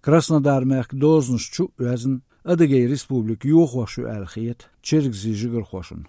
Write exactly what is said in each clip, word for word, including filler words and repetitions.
Краснодар-мехка дозанаш чу а оьзна, Адыгей Республика йохош ю аьлла хета чергазийн жигархошна.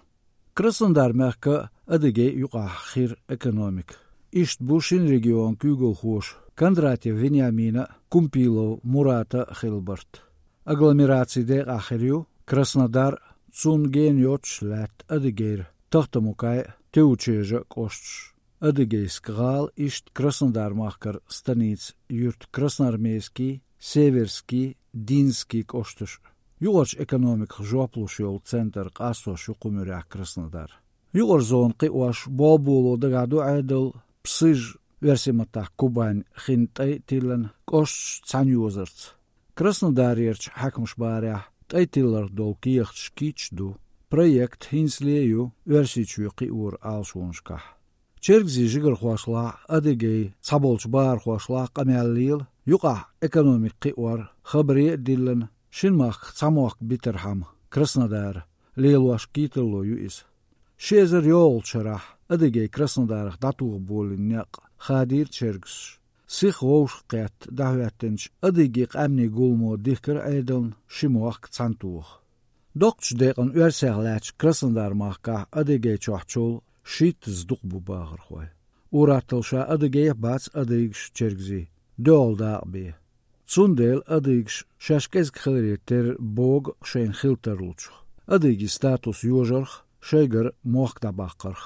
Краснодар-мехка а, Адыгей а юкъахь хир экономика. Иштта бу шина регионан куьйгалхоша Кондратьев Вениамина а, Кумпилов Мурата а хилла барт. Агломерацин декъахь хир ю Краснодар, цунна гена йоццуш лаьтта Адыгейра Тахтамукай а, Теучежа а кӀошташ. Адыгейск-гӀала иштта Краснодар-махкара станица-юрт Красноармейский, Северский, Динский кӀошташ а. Юкъарчу экономиках жоп луш йолу центр къастош ю кху муьрехь Краснодар. Юкъара зона кхиош, болх боло дагахь ду Ӏедал, Псыж, оьрсийн маттахь Кубань, хин тӀай тиллина кӀошташ цхьаьна йозарца. Краснодарерчу хьаькамаша бахарехь, тӀай тилларх долу кехаташ кийча ду. Проект хӀинцале а ю Оьрсийчоь кхиоран Ӏалашонашкахь. Чергазийн жигархошлахь а, Адыгейн цхьаболчу бахархошлахь а къамел лела, юкъахь экономика кхиор, хабаре а диллина, шина махках цхьа мохк битархьама, Краснодар, лелош кхетарло ю иза. Ши эзар йолхучу шарахь Адыгей Краснодарах дӀатоха болийна некъ хадийра чергазаша. Сиха вовшахкхетта дӀахӀоьттинчу Адыгейн къаьмнийн гуламо дихкира Ӏедална ши мохк цхьаьнатоха. Доккхачу декъана оьрсех лаьттачу Краснодар-махкахь Адыгейчохь чул шийтта зудчух бу бахархой. Ур-атталла ша Адыгейх бац адыгаш чергазий, доьалгӀа дакъа бен. Цундела адыгаш шаьш кӀезиг хиларе терра богу шайна хила тарлучух, адыгийн статус йожарх, шайгара мохк дӀабаккхарх.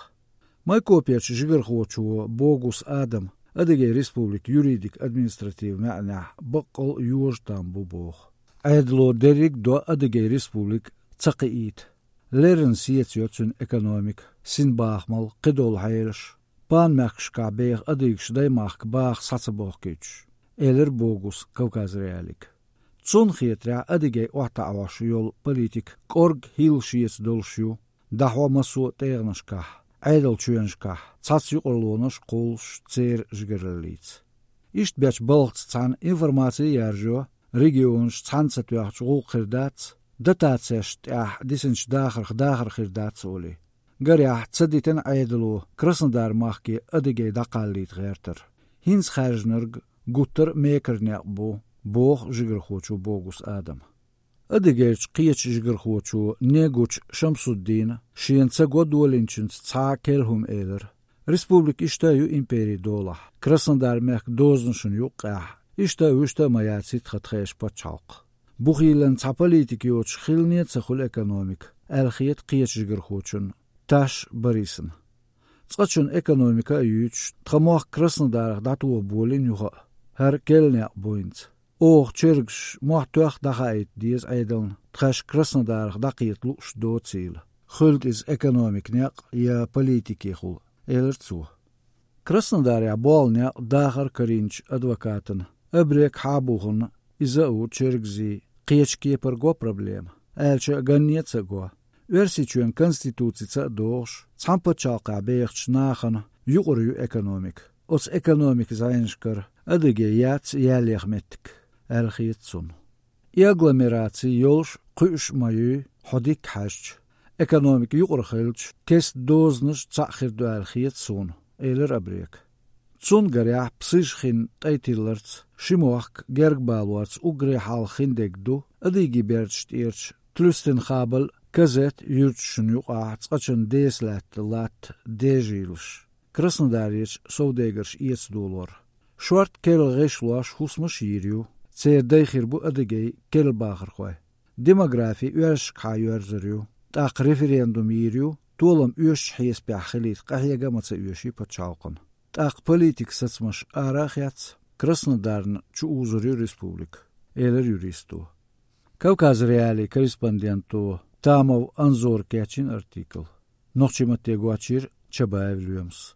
Майкоперчу жигархочо Богус Адама Адыгей Республикан юридик-административан маьӀнехь баккъал а йожа там бу боху. Ӏедало дерриг а до Адыгей Республика ца кхиийта. Леррина сецайо цуьнан экономика, синбахамалла, кхидолу хьелаш, пан-мехкашкахь беха адыгаш даймахка баха схьа ца бохкуьйтуш, элира Богуса Кавказ.Реалиига. Цунна хетарехь, Адыгей охьатаӀош йолу политика кӀорга хӀилла шеца долуш ю, дӀахьо массо а тӀегӀанашкахь, Ӏедалчоьнашкахь, цхьацца юкъарлонаш а кхуллуш церан жигараллица. Иштта бечу балхаца цхьаьна информаци а яржайо, регионаш цхьаьна ца тоьхча гӀуллакх хир дац, дотацешна тӀехь дисинчу дахарх дахар хир дац олий. Гарехь, ца дитина Ӏедало Краснодар-махке адыгей дӀакхаллийта гӀертар. ХӀинца хаьржинарг гуттар а мекара некъ бу, боху жигархочо Богус Адама. Адыгейрчу кхечу жигархочо Негучу Шамсуддина шена ца го долийначуьнца цхьа а керла хӀума элира. Республика иштта а ю империн долахь, Краснодар-мехкан дозанашна юккъехь, иштта а, вуьшта а ма яц хӀиттаха тхешан пачхьалкх. Бухийлан цхьа политика йоцуш хилане а ца хуьлу экономика, аьлла хета кхечу жигархочунна, Таш Борисна. Цкъачунна экономика а юьйцуш, тхан мохк Краснодарах дӀатоха болийна юха а, хӀара керла некъ бу хӀинца. Оха чергазаш мохь тоьхна дӀахаийта деза Ӏедална, тхаьш Краснодарах дӀакхета лууш доцийла, хуьлда иза экономикан некъ я политикехула, элира цо. Краснодарехь болу некъ дахар карийначу адвокатана Абрек Хьабухана иза а ву чергазийн кхечу кепара го проблема, аьлча а ганне а ца го. Оьрсийчоьнан конституцица а догӀуш, цхьана пачхьалкхехь бехачу нахана юкъара ю экономика. Оцу экономикан зӀенашкара Адыгей яц ялеха меттиг, аьлла хета цунна. И агломераци йолуш, кхуьуш а ма юй, хьо дика хьаьжча. Экономика юкъара хилча, кеста дозанаш цхьаъ хир ду аьлла хета суна, элира Абрека. Цунна гарехь, Псыж хин тӀай тилларца, ши мохк герга балорца уггаре хьалха хиндерг ду Адыгейн берташ тӀерачу Тлюстенхабель, Казет юьрташна юкъахь цкъачунна деса лаьтта латта дежийлаш, Краснодарерчу совдегарша эца долор. Шорта керла гӀишлош, хӀусамаш а йийр ю, церан дай хир бу Адыгейн керла бахархой. Демографи оьрсашкахьа йоьрзур ю, тӀаккха референдум йийр ю, толам оьшучу хьесапехь хилийта къахьега а ма ца оьший пачхьалкхана. ТӀаккха политикан сацамаш ара а хецна, Краснодарна чу узур ю республика, элира юристо. Кавказ.Реалиин корреспонденто Тамов Анзора кечйина артикл. Нохчийн матте гочйира Чабаев Лоьмас.